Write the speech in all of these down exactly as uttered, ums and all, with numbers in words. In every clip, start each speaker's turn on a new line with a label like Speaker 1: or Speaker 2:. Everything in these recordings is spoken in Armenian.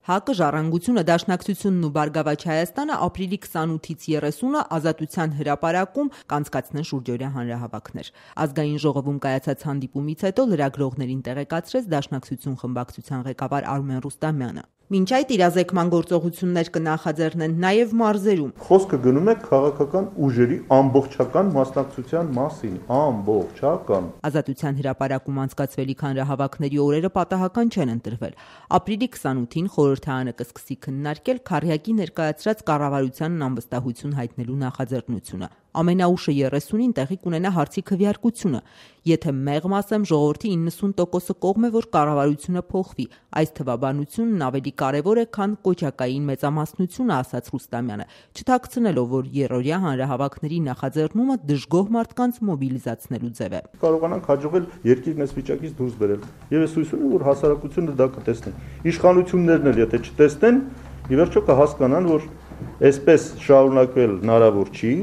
Speaker 1: ՀԱԿ-ը, Ժառանգությունը, Դաշնակցությունն ու Բարգավաճ Հայաստանը ապրիլի քսանութից երեսունը Ազատության հրապարակում կանցկացնեն շուրջօրյա հանրահավաքներ։ Ազգային ժողովում կայացած հանդիպումից հետո լրագրողներին տեղեկացրեց Դաշնակցություն խմբակցության ղեկավար Արմեն Ռուստամյանը։ Մինչ այդ իրազեկման գործողություններ կնախաձեռնեն նաև մարզերում։
Speaker 2: Խոսքը գնում է քաղաքական ուժերի ամբողջական մասնակցության մասին, ամբողջական։
Speaker 1: Ազատության հրապարակում անցկացվելիք հանրահավաքների օրերը պատահական չեն ընտրվել։ Ապրիլի քսանութին խորհրդարանը կսկսի քննարկել Քառյակի ներկայացրած կառավարությանն անվստահություն հայտնելու նախաձեռնությունը։ Ամենաուշը երեսունին տեղի կունենա հարցի քվեարկությունը։ Եթե մեղմ ասեմ, ժողովրդի իննսուն տոկոսը կողմ է, որ կառավարությունը փոխվի։ Այս թվաբանությունն ավելի կարևոր է, քան կոճակային մեծամասնությունը, ասաց Ռուստամյանը, չթաքցնելով, որ երրորդյա հանրահավաքների նախաձեռնումը դժգոհ մարդկանց մոբիլիզացնելու ձև է։
Speaker 2: Կարողանանք հաջողել երկիրն այս վիճակից դուրս բերել։ Եվ ես հույս ունեմ, որ հասարակությունը դա կտեսնի։ Իշխանություններն էլ եթե չտեսնեն, ի վերջո կհասկանան, որ այսպես շարունակվել հնարավոր չի։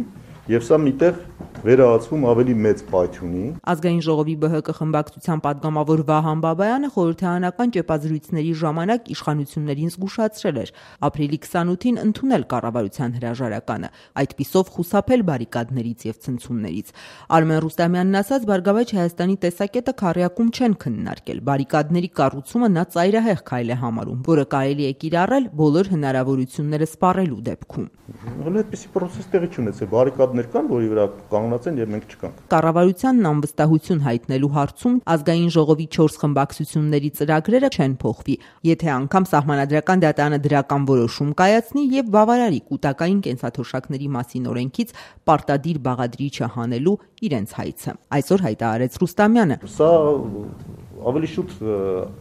Speaker 2: Եվ սա միտեղ վերահացվում ավելի մեծ պայթյունի։
Speaker 1: Ազգային ժողովի ԲՀԿ խմբակցության պատգամավոր Վահան Բաբայանը խորհրդարանական ճեպազրույցների ժամանակ իշխանություններին զգուշացրել էր ապրիլի քսանութին ընդունել կառավարության հրաժարականը, այդպիսով խուսափել բարիկադներից եւ ցնցումներից։ Արմեն Ռուստամյանն ասաց, Բարգավաճ Հայաստանի տեսակետը Քառյակում չեն քննարկել։ Բարիկադների կառուցումը նա ծայրահեղ քայլ է համարում, որը կարելի է կիրառել բոլոր հնարավորությունները սպառելու դեպքում։
Speaker 2: Հələ այդպիսի process տեղի չունեցել, բարիկադներ կան, որի վրա կանգնած են եւ մենք չկանք։
Speaker 1: Կառավարությանն անվստահություն հայտնելու հարցում ազգային ժողովի չորս խմբակցությունների ծրագրերը չեն փոխվի, եթե անգամ Սահմանադրական դատարանը դրական որոշում կայացնի եւ բավարարի կൂട്ടակային կենսաթոշակների մասին օրենքից պարտադիր բաղադրիչը հանելու իրենց հայցը։ Այսօր հայտարարեց Ռուստամյանը։
Speaker 2: Սա ավելի շուտ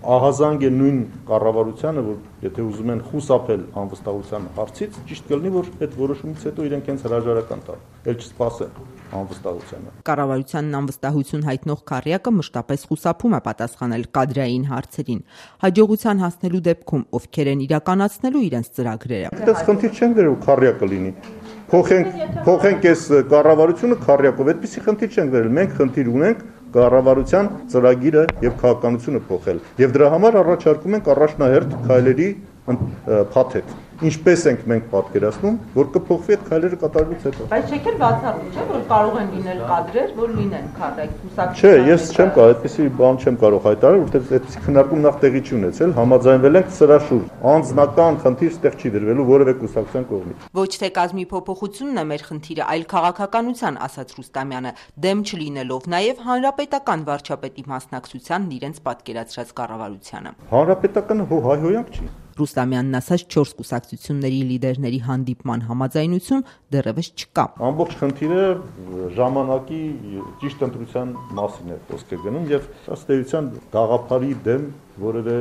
Speaker 2: ահազանգ է նույն կառավարությանը, որ եթե ուզում են խուսափել անվստահության հարցից, ճիշտ կլինի, որ այդ որոշումից հետո իրենք հենց հրաժարական տան, ել չսպասեն անվստահությանը։
Speaker 1: Կառավարությանն անվստահություն հայտնող Քառյակը մշտապես խուսափում է պատասխանել կադրային հարցերին։ Հաջողության հասնելու դեպքում ովքեր են իրականացնելու իրենց ծրագրերը։
Speaker 2: Այդպես խնդիր չենք դրել, Քառյակը լինի։ Փոխենք, փոխենք այս կառավարությունը Քառյակով, այդպիսի խնդիր չենք դրել։ Մենք խնդիր ունենք կառավարության ծրագիրը եւ քաղաքականությունը փոխել։ Եվ դրա համար առաջարկում ենք առաջնահերթ քայլերի փաթեթ։ Ինչպես ենք մենք պատկերացնում, որ կփոխվի այդ քայլերը կատարելուց հետո։
Speaker 1: Բայց չեք էլ բացառում, չէ՞, որ կարող են լինել կադրեր, որ լինեն Քառյակի կուսակցության։
Speaker 2: Չէ, ես չեմ կարող, այդպեսի բան չեմ կարող հայտարարել, որովհետեւ այդպեսի քննարկում նախ տեղի չի ունեցել, համաձայնվել ենք սրա շուրջ։ Անձնական խնդիր ստեղ չի դրվելու որևէ կուսակցության կողմից։
Speaker 1: Ոչ թե կազմի փոփոխությունն է մեր խնդիրը, այլ քաղաքականության, ասաց Ռուստամյանը, դեմ չլինելով նաև հանրապետական վարչապետի մասնակցությանն իրենց պատկերացրած կառավարությանը։
Speaker 2: Հանրապետականը հո հայհոյանք չի։
Speaker 1: Ռուստամյանն ասաց, չորս կուսակցությունների լիդերների հանդիպման համաձայնություն դեռևս չկա։
Speaker 2: Ամբողջ խնդիրը ժամանակի ճիշտ ընտրության մասին է խոսքը գնում եւ ըստ էության գաղափարի դեմ որևէ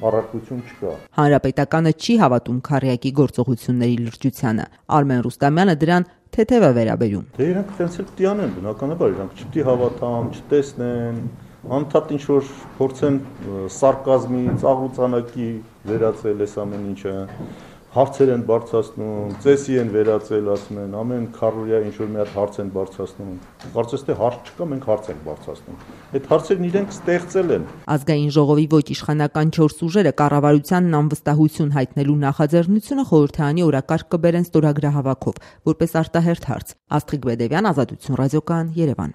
Speaker 2: առարկություն չկա։
Speaker 1: Հանրապետականը չի հավատում Քառյակի գործողությունների լրջությանը։ Արմեն Ռուստամյանը դրան թեթև է վերաբերում։
Speaker 2: Դե իրանք տենց էլ պիտի անեն, բնականաբար իրանք չպիտի հավատան, չտեսնեն, անդադ ինչ որ փորձեն սարկազմի, ծաղրուծանակի վերածել այս ամեն ինչը, հարցեր են բարձրացնում, ծեսի են վերածել, ասում են, ամեն քառորյա ինչ որ մի հատ հարց են բարձրացնում։ Կարծես թե հարց չկա, մենք հարց ենք բարձրացնում։ Այդ հարցերն իրենք ստեղծել են։
Speaker 1: Ազգային ժողովի ոչ իշխանական չորս ուժերը կառավարությանն անվստահություն հայտնելու նախաձեռնությունը խորհրդարանի օրակարգ կբերեն ստորագրահավաքով, որպես արտահերթ հարց։ Աստղիկ Բեդևյան, Ազատություն ռադիոկայան, Երևան։